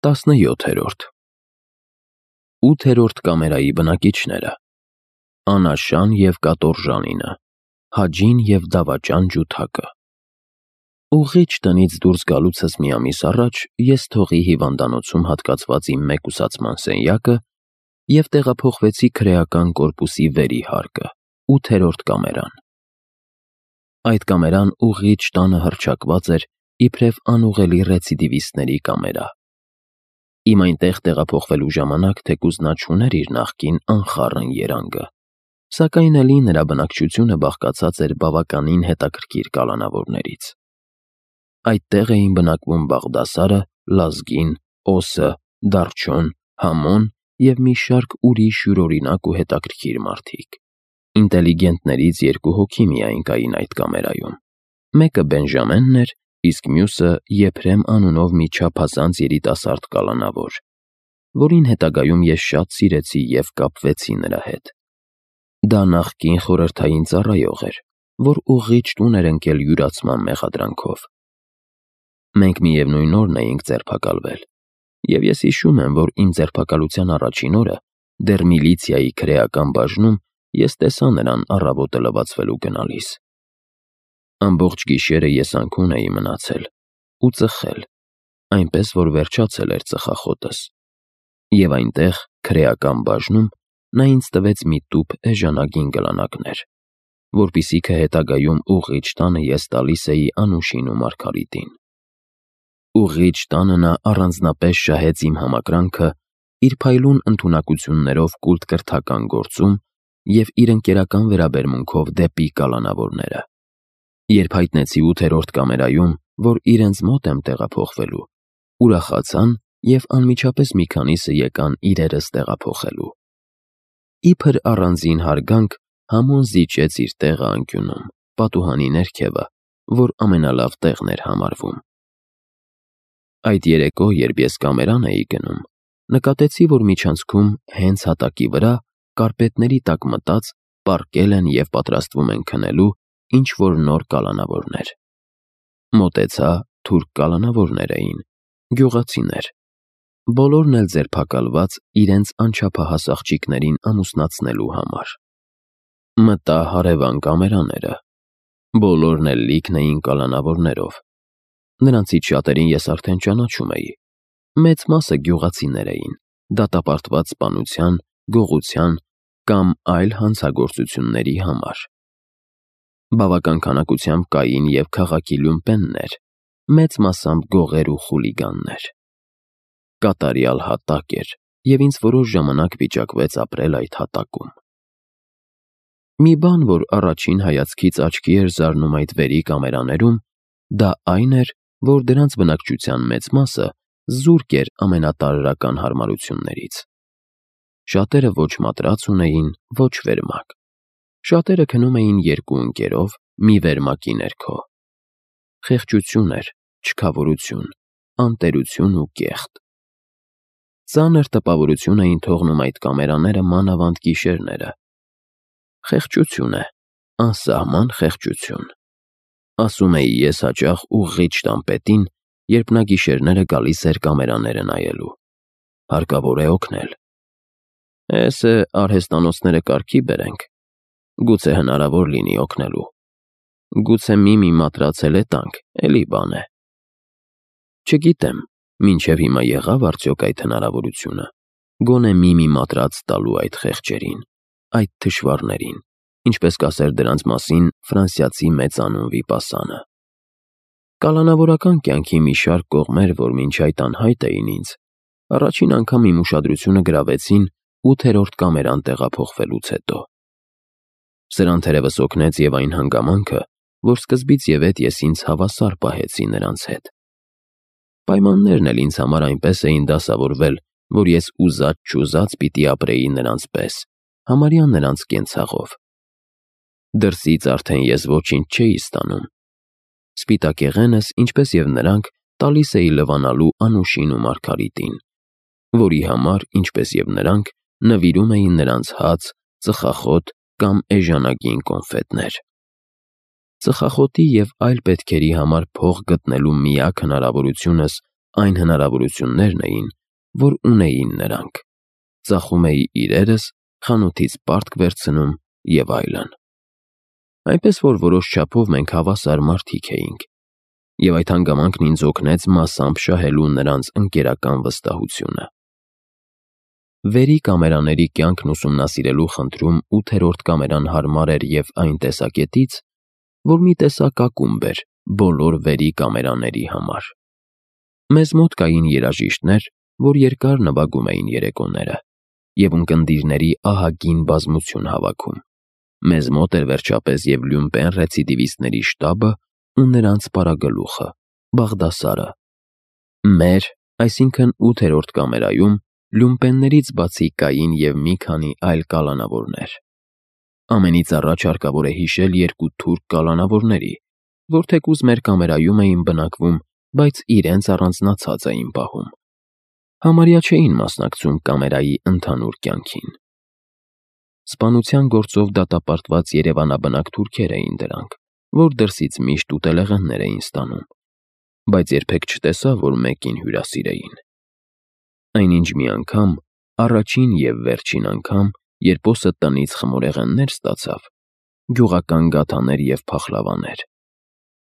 17-րդ 8-րդ կամերայի բնակիչները. Անաշան և Կատորժանինը, Հաջին և Դավաճան Ջութակը։ Ուղղիչ տնից դուրս գալուցս մի ամիս առաջ ես թողի հիվանդանոցում հատկացված իմ մեկուսացման սենյակը և տեղափոխվեցի քրեական կորպուսի վերի հարկը, 8-րդ կամերան։ Այդ կամերան ուղղիչ տանը հռչակված էր իբրև անուղղելի ռեցիդիվիստների կամերա։ Իմ այնտեղ տեղափոխվելու ժամանակ թեկուզ նա չուներ իր նախկին անխառն երանգը, սակայն էլի նրա բնակչությունը բաղկացած էր բավականին հետաքրքիր կալանավորներից։ Այդտեղ էին բնակվում Բաղդասարը, Լազգին, Օսը, Դարչոն, Համոն և մի շարք ուրիշ յուրօրինակ ու հետաքրքիր մարդիկ։ Ինտելիգենտներից 2 հոգի միայն կային այդ կամերայում։ Մեկը Բենժամենն էր, իսկ մյուսը Եփրեմ անունով մի չափազանց երիտասարդ կալանավոր, որին հետագայում ես շատ սիրեցի և կապվեցի նրա հետ։ Դա նախկին խորհրդային ծառայող էր, որ ուղղիչ տուն էր ընկել յուրացման մեղադրանքով։ Մենք միևնույն օրն էինք ձերբակալվել, և ես հիշում եմ, որ իմ ձերբակալության առաջին օրը դեռ միլիցիայի քրեական բաժնում ես տեսա նրան առավոտը լվացվելու գնալիս։ Ամբողջ գիշերը ես անքուն էի մնացել ու ծխել, այնպես որ վերջացել էր ծխախոտս, և այնտեղ, քրեական բաժնում, նա ինձ տվեց մի տուփ էժանագին գլանակներ, որպեսզի հետագայում ուղղիչ տանը ես տալիս էի Անուշին ու Մարգարիտին։ Ուղղիչ տանը նա առանձնապես շահեց իմ համակրանքը իր փայլուն ընդունակություններով կուլտ-կրթական գործում և իր ընկերական վերաբերմունքով դեպի կալանավորները։ Երբ հայտնեցի 8-րդ կամերայում, որ իրենց մոտ եմ տեղափոխվելու, ուրախացան և անմիջապես մի քանիսը եկան իրերս տեղափոխելու։ Իբր առանձին հարգանք Համոն զիջեց իր տեղը անկյունում, պատուհանի ներքևը, որ ամենալավ տեղն էր համարվում։ Այդ երեկո, երբ ես կամերան էի գնում, նկատեցի, որ միջանցքում հենց հատակի վրա, կարպետների տակ մտած, պառկել են և պատրաստվում են քնելու ինչ-որ նոր կալանավորներ։ Մոտեցա, թուրք կալանավորներ էին, գյուղացիներ, բոլորն էլ ձերբակալված իրենց անչափահաս աղջիկներին ամուսնացնելու համար։ Մտա հարևան կամերաները, բոլորն էլ լիքն էին կալանավորներով։ Նրանցից շատերին ես արդեն ճանաչում էի, մեծ մասը գյուղացիներ էին, դատապարտված սպանության, գողության կամ այլ հանցագործությունների համար։ Բավական քանակությամբ կային և քաղաքի լյումպեններ, մեծ մասամբ գողեր ու խուլիգաններ։ Կատարյալ հատակ էր, և ինձ որոշ ժամանակ վիճակվեց ապրել այդ հատակում։ Մի բան, որ առաջին հայացքից աչքի էր զարնում այդ վերի կամերաներում, դա այն էր, որ դրանց բնակչության մեծ մասը զուրկ էր ամենատարրական հարմարություններից։ Շատերը ոչ մատրաց ունեին, ոչ վերմակ։ Շատերը քնում էին 2 ընկերով մի վերմակի ներքո։ Խեղճություն էր, չքավորություն, անտերություն ու կեղտ։ Ծանր տպավորություն էին թողնում այդ կամերաները մանավանդ գիշերները։ Խեղճություն է, անսահման խեղճություն։ Ասում էի ես հաճախ ուղղիչ տան պետին, երբ նա գիշերները գալիս էր կամերաները նայելու։ Հարկավոր է օգնել։ Էս է արհեստանոցները կարգի բերենք, գուցե հնարավոր լինի օգնելու։ Գուցե մի մատրաց էլ տանք, էլի բան է։ Չգիտեմ, մինչև հիմա եղավ արդյոք այդ հնարավորությունը, գոնե մի մատրաց տալու այդ խեղճերին, այդ թշվառներին, ինչպես կասեր դրանց մասին ֆրանսիացի մեծանուն վիպասանը։ Կալանավորական կյանքի մի շարք կողմեր, որ մինչ այդ անհայտ էին ինձ, առաջին անգամ իմ ուշադրությունը գրավեցին 8-րդ կամերան տեղափոխվելուց հետո։ Սրան թերևս օգնեց և այն հանգամանքը, որ սկզբից և ետ ես ինձ հավասար պահեցի նրանց հետ։ Պայմաններն էլ ինձ համար այնպես էին դասավորվել, որ ես ուզած-չուզած պիտի ապրեի նրանց պես, համարյա նրանց կենցաղով։ Դրսից արդեն ես ոչինչ չէի ստանում։ Սպիտակեղենս, ինչպես և նրանք, տալիս էի լվանալու Անուշին ու Մարգարիտին, որի համար, ինչպես և նրանք, նվիրում էի նրանց հաց, ծխախոտ կամ էժանագին կոնֆետներ։ Ծխախոտի և այլ պետքերի համար փող գտնելու միակ հնարավորությունս Այն հնարավորություններն էին, որ ունեին նրանք. ծախում էի իրերս, խանութից պարտք վերցնում և այլն։ Այնպես որ որոշ չափով մենք հավասար մարդիկ էինք, և այդ հանգամանքն ինձ օգնեց մասամբ շահելու նրանց ընկերական վստահությունը։ Վերի կամերաների կյանքն ուսումնասիրելու խնդրում 8-րդ կամերան հարմար էր և այն տեսակետից, որ մի տեսակ ակումբ էր բոլոր վերի կամերաների համար։ Մեզ մոտ կային երաժիշտներ, որ երկար նվագում էին երեկոները և ունկնդիրների ահագին բազմություն հավաքում։ Մեզ մոտ էր վերջապես և Լյումպեն ռեցիդիվիստների շտաբը ու նրանց պարագլուխը՝ Բաղդասարը։ Մեր, այսինքն 8-րդ կամերայում Լյումպեններից բացի կային և մի քանի այլ կալանավորներ։ Ամենից առաջ հարկավոր է հիշել երկու թուրք կալանավորների, որ թեկուզ մեր կամերայում էին բնակվում, բայց իրենց առանձնացած էին պահում։ Համարյա չէին մասնակցում կամերայի ընդհանուր կյանքին։ Սպանության գործով դատապարտված երևանաբնակ թուրքեր էին դրանք, որ դրսից միշտ ուտելեղեններ էին ստանում, բայց երբեք չտեսա, որ մեկին հյուրասիրեին։ Այնինչ մի անգամ, առաջին և վերջին անգամ, երբ օսը տնից խմորեղեններ ստացավ, գյուղական գաթաներ և փախլավաներ,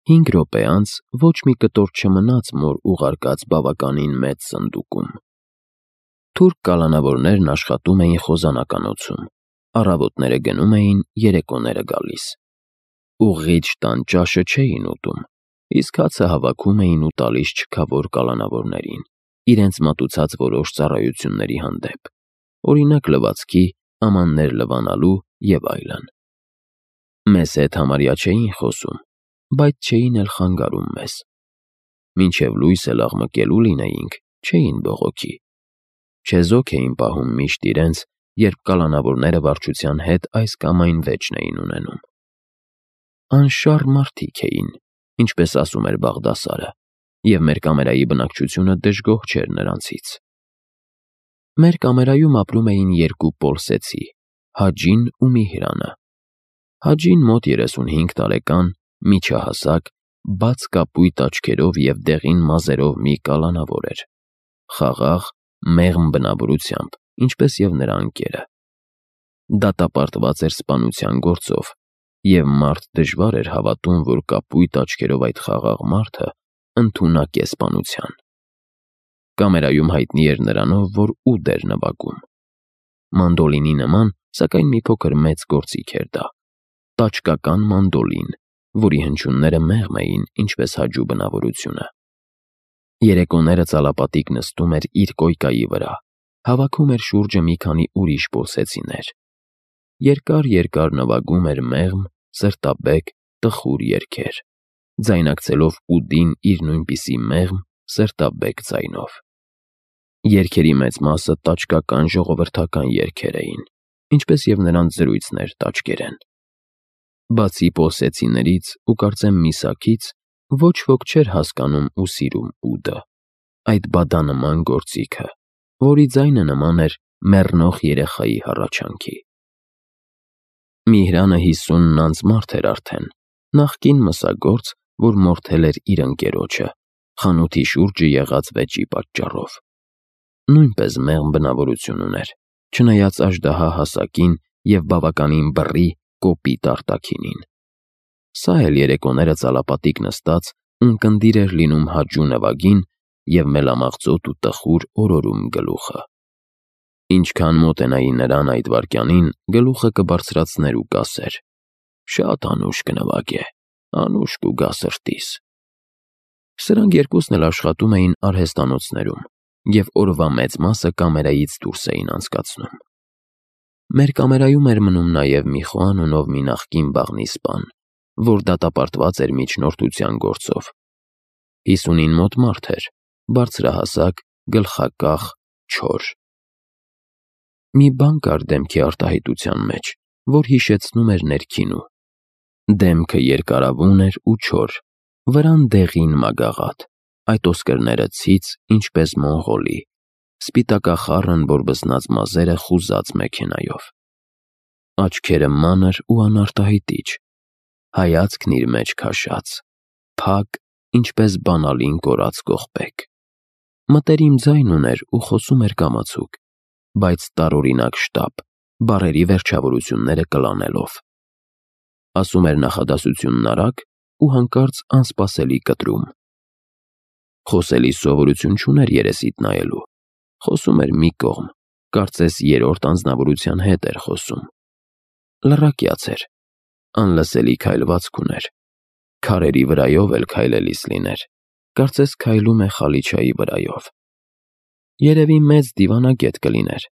5 րոպե անց ոչ մի կտոր չմնաց մոր ուղարկած բավականին մեծ սնդուկում։ Թուրք կալանավորներն աշխատում էին խոզանականոցում, առավոտները գնում էին, երեկոները գալիս։ Ուղղիչ տան ճաշը չէին ուտում, իսկ հացը հավաքում էին ու տալիս չքավոր կալանավորներին, իրենց մատուցած որոշ ծառայությունների հանդեպ, օրինակ լվացքի, ամաններ լվանալու և այլն։ Մեզ հետ համարյա չէին խոսում, բայց չէին էլ խանգարում մեզ։ Մինչև լույս էլ աղմկելու լինեինք, չէին բողոքի։ Չեզոք էին պահում միշտ իրենց, երբ կալանավորները վարչության հետ այս կամ այն վեճն էին ունենում։ Անշառ մարդիկ էին, ինչպես ասում էր Բաղդասարը, և մեր կամերայի բնակչությունը դժգոհ չէր նրանցից։ Մեր կամերայում ապրում էին երկու պոլսեցի՝ Հաջին ու Միհրանը։ Հաջին մոտ 35 տարեկան, միջահասակ, բաց կապույտ աչքերով և դեղին մազերով մի կալանավոր էր, խաղաղ, մեղմ բնավորությամբ, ինչպես և նրա ընկերը։ Դատապարտված էր սպանության գործով, և մարդ դժվար էր հավատում, որ կապույտ աչքերով այդ խաղաղ մարդը ընդունակ է սպանության։ Կամերայում հայտնի էր նրանով, որ ուդ էր նվագում։ Մանդոլինի նման, սակայն մի փոքր մեծ գործիք էր դա, տաճկական մանդոլին, որի հնչյունները մեղմ էին, ինչպես Հաջու բնավորությունը։ Երեկոները ծալապատիկ նստում էր իր կոյկայի վրա, հավաքում էր շուրջը մի քանի ուրիշ պոլսեցիներ։ Երկար նվագում էր մեղմ, սրտաբեկ, տխուր երգեր, ձայնակցելով ուդին իր նույնպիսի մեղմ, սրտաբեկ ձայնով։ Երգերի մեծ մասը տաճկական ժողովրդական երգեր էին, ինչպես և նրանց զրույցն էր տաճկերեն։ Բացի պոլսեցիներից ու կարծեմ միսակից, ոչ ոք չէր հասկանում ու սիրում ուդը, այդ բադանման գործիքը, որի ձայնը նման էր մեռնող երեխայի հառաչանքի։ Միհրանը 50 անց մարդ էր արդեն, նախկին մսագործ, որ մորթել էր իր ընկերոջը, խանութի շուրջը եղած վեճի պատճառով։ Նույնպես մեղմ բնավորություն ուներ, չնայած աժդահա հասակին և բավականին բռի, կոպիտ արտաքինին։ Սա էլ երեկոները ծալապատիկ նստած ունկնդիր էր լինում Հաջու նվագին և մելամաղձոտ ու տխուր օրորում գլուխը։ Ինչքան մոտենայի նրան այդ վայրկյանին, գլուխը կբարձրացներ ու կասեր. «Շատ անուշ կնվագե, անուշ կուգա սրտիս»։ Սրանք երկուսն էլ աշխատում էին արհեստանոցներում և օրվա մեծ մասը կամերայից դուրս էին անցկացնում։ Մեր կամերայում էր մնում նաև մի Խոան անունով մի նախկին բաղնիսպան, որ դատապարտված էր միջնորդության գործով։ 50-ին մոտ մարդ էր, բարձրահասակ, գլխակախ, չոր։ Մի բան կար դեմքի արտահայտության մեջ, որ հիշեցնում էր ներքինու։ Դեմքը երկարավուն էր ու չոր, վրան դեղին մագաղաթ, այդ ոսկրները ցից, ինչպես մոնղոլի, սպիտակախառն բորբզնած մազերը խուզած մեքենայով։ Աչքերը մանր ու անարտահայտիչ, հայացքն իր մեջ քաշած, փակ, ինչպես բանալին կորած կողպեք։ Մտերիմ ձայն ուներ ու խոսում էր կամացուկ, բայց տարօրինակ շտապ, բառերի վերջավորությունները կլանելով։ Ասում էր նախադասությունն արագ ու հանկարծ անսպասելի կտրում։ Խոսելի սովորություն չուներ երեսիդ նայելու, խոսում էր մի կողմ, կարծես երրորդ անձնավորության հետ էր խոսում։ Լռակյաց էր, անլսելի քայլվածք ուներ, քարերի վրայով էլ քայլելիս լիներ, կարծես քայլում է Խալիչայի վրայով։ Երևի մեծ դիվանագետ կլիներ,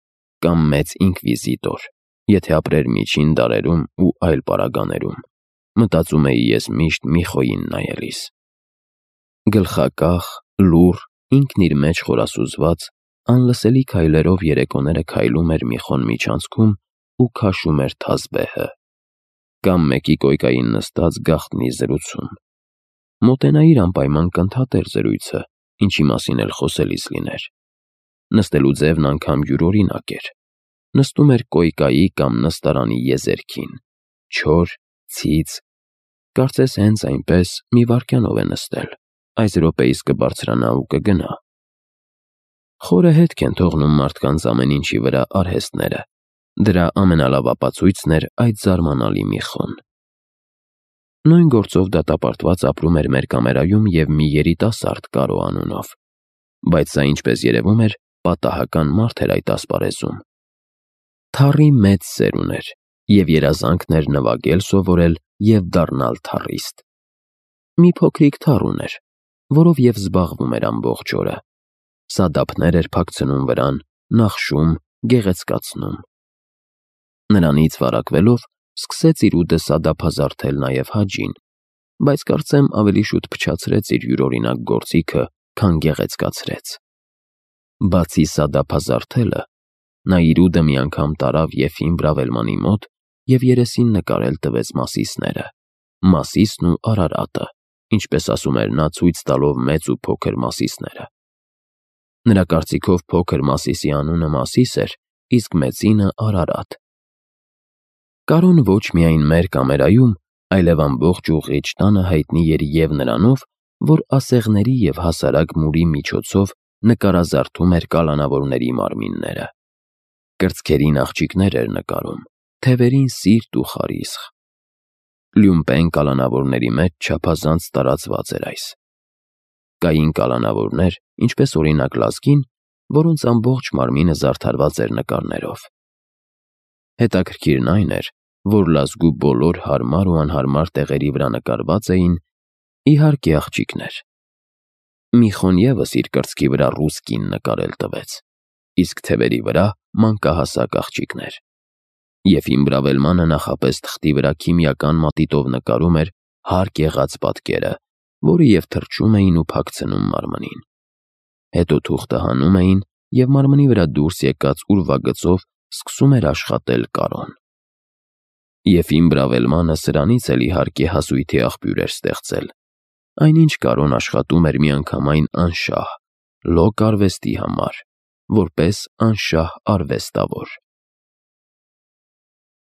կամ մեծ ինկվիզիտոր, եթե ապրեր միջին դարերում ու այլ պարագաներում, մտածում էի ես միշտ մի խոյին նայելիս։ Գլխակախ, լուռ, ինքն իր մեջ խորասուզված, անլսելի քայլերով երեկոները քայլում էր մի խոն միջանցքում ու քաշում էր թազբեհը, կամ մեկի կոյկային նստած գաղտնի զրուցում։ Մոտենայիր անպայման կընդհատեր զրույցը, ինչի մասին էլ խոսելիս լիներ։ Նստելու ձևն անգամ յուրօրինակ էր։ Նստում էր կոյկայի կամ նստարանի եզերքին, չոր, ցից, կարծես հենց այնպես մի վայրկյանով է նստել, այս րոպեիս կբարձրանա ու կգնա։ Խորը հետք են թողնում մարդկանց ամեն ինչի վրա արհեստները, դրա ամենալավ ապացույցն էր այդ զարմանալի մի խոն։ Նույն գործով դատապարտված ապրում էր մեր կամերայում և մի երիտասարդ Կարո անունով, բայց սա, ինչպես երևում էր, պատահական մարդ էր այդ ասպարեզում։ Թառի մեծ սեր ուներ և երազանքն էր նվագել սովորել և դառնալ թառիստ։ Մի փոքրիկ թառ ուներ, որով և զբաղվում էր ամբողջ օրը։ Սադափներ էր փակցնում վրան, նախշում, գեղեցկացնում։ Նրանից վարակվելով սկսեց իր ուտը սադափազարդել նաև Հաջին, բայց կարծեմ ավելի շուտ փչացրեց իր յուրօրինակ գործիքը, քան գեղեցկացրեց։ Բացի սադափազարդելը, նա իր ուտը մի անգամ տարավ Եֆիմ Բրավելմանի մոտ և երեսին նկարել տվեց Մասիսները, Մասիսն ու Արարատը, ինչպես ասում էր նա, ցույց տալով մեծ ու փոքր Մասիսները։ Նրա կարծիքով փոքր Մասիսի անունը Մասիս էր, իսկ մեծինը Արարատ։ Կարոն ոչ միայն մեր կամերայում, այլև ամբողջ ուղղիչ տանը հայտնի էր և նրանով, որ ասեղների և հասարակ մուրի միջոցով նկարազարդում էր կալանավորների մարմինները։ Կրծքերին աղջիկներ էր նկարում, թևերին սիրտ ու խարիսխ։ Լյումպեն կալանավորների մեջ չափազանց տարածված էր այս։ Կային կալանավորներ, ինչպես օրինակ Լազգին, որոնց ամբողջ մարմինը զարդարված էր նկարներով։ Հետաքրքիրն այն էր, որ Լազգու բոլոր հարմար ու անհարմար տեղերի վրա նկարված էին, իհարկե, աղջիկներ։ Մի խոն ևս իր կրծքի վրա ռուս կին նկարել տվեց, իսկ թևերի վրա մանկահասակ աղջիկներ։ Եֆիմ Բրավելմանը նախապես թղթի վրա քիմիական մատիտով նկարում էր հարկ եղած պատկերը, որը և թրջում էին ու փակցնում մարմնին։ Հետո թուղթը հանում էին, և մարմնի վրա դուրս եկած ուրվագծով սկսում էր աշխատել Կարոն։ Եֆիմ Բրավելմանը սրանից էլ իհարկե հասույթի աղբյուր էր ստեղծել։ Այնինչ Կարոն աշխատում էր միանգամայն անշահ, լոկ արվեստի համար, որպես անշահ արվեստավոր։